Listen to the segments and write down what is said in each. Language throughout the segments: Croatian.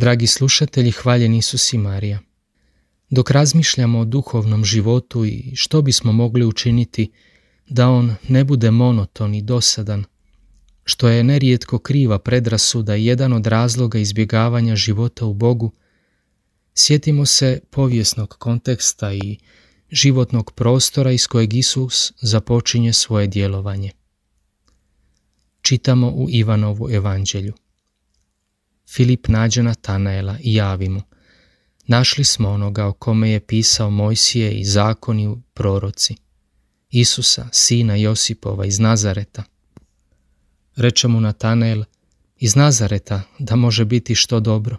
Dragi slušatelji, hvaljen Isus i Marija. Dok razmišljamo o duhovnom životu i što bismo mogli učiniti da on ne bude monoton i dosadan, što je nerijetko kriva predrasuda i jedan od razloga izbjegavanja života u Bogu, sjetimo se povijesnog konteksta i životnog prostora iz kojeg Isus započinje svoje djelovanje. Čitamo u Ivanovu evanđelju. Filip nađe Natanaela i javi mu: našli smo onoga o kome je pisao Mojsije i zakoni i proroci, Isusa, sina Josipova iz Nazareta. Reče mu Natanael: iz Nazareta da može biti što dobro?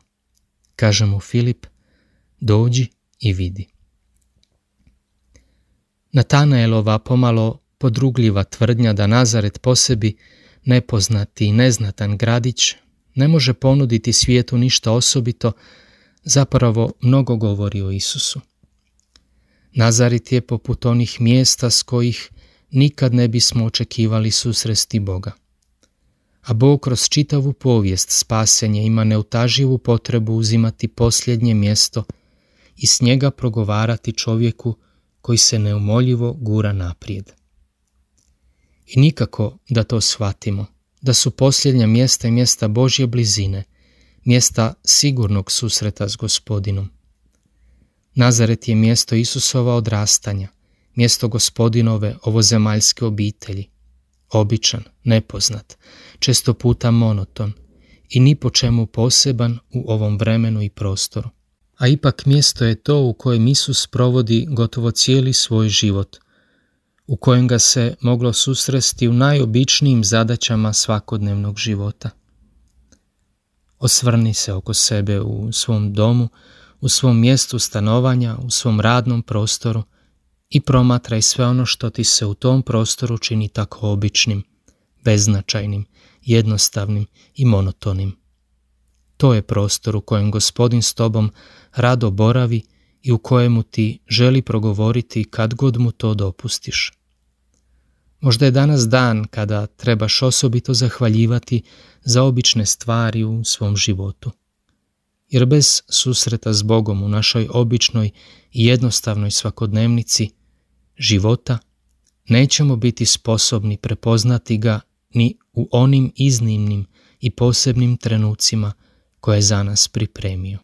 Kaže mu Filip: dođi i vidi. Natanaelova pomalo podrugljiva tvrdnja da Nazaret po sebi, nepoznati i neznatan gradić, ne može ponuditi svijetu ništa osobito, zapravo mnogo govori o Isusu. Nazaret je poput onih mjesta s kojih nikad ne bismo očekivali susresti Boga. A Bog kroz čitavu povijest spasenja ima neutaživu potrebu uzimati posljednje mjesto i s njega progovarati čovjeku koji se neumoljivo gura naprijed. I nikako da to shvatimo, da su posljednja mjesta i mjesta Božje blizine, mjesta sigurnog susreta s Gospodinom. Nazaret je mjesto Isusova odrastanja, mjesto Gospodinove ovozemaljske obitelji, običan, nepoznat, često puta monoton i ni po čemu poseban u ovom vremenu i prostoru. A ipak mjesto je to u kojem Isus provodi gotovo cijeli svoj život, u kojem ga se moglo susresti u najobičnijim zadaćama svakodnevnog života. Osvrni se oko sebe u svom domu, u svom mjestu stanovanja, u svom radnom prostoru i promatraj sve ono što ti se u tom prostoru čini tako običnim, beznačajnim, jednostavnim i monotonim. To je prostor u kojem Gospodin s tobom rado boravi i u kojemu ti želi progovoriti kad god mu to dopustiš. Možda je danas dan kada trebaš osobito zahvaljivati za obične stvari u svom životu. Jer bez susreta s Bogom u našoj običnoj i jednostavnoj svakodnevnici života nećemo biti sposobni prepoznati ga ni u onim iznimnim i posebnim trenucima koje je za nas pripremio.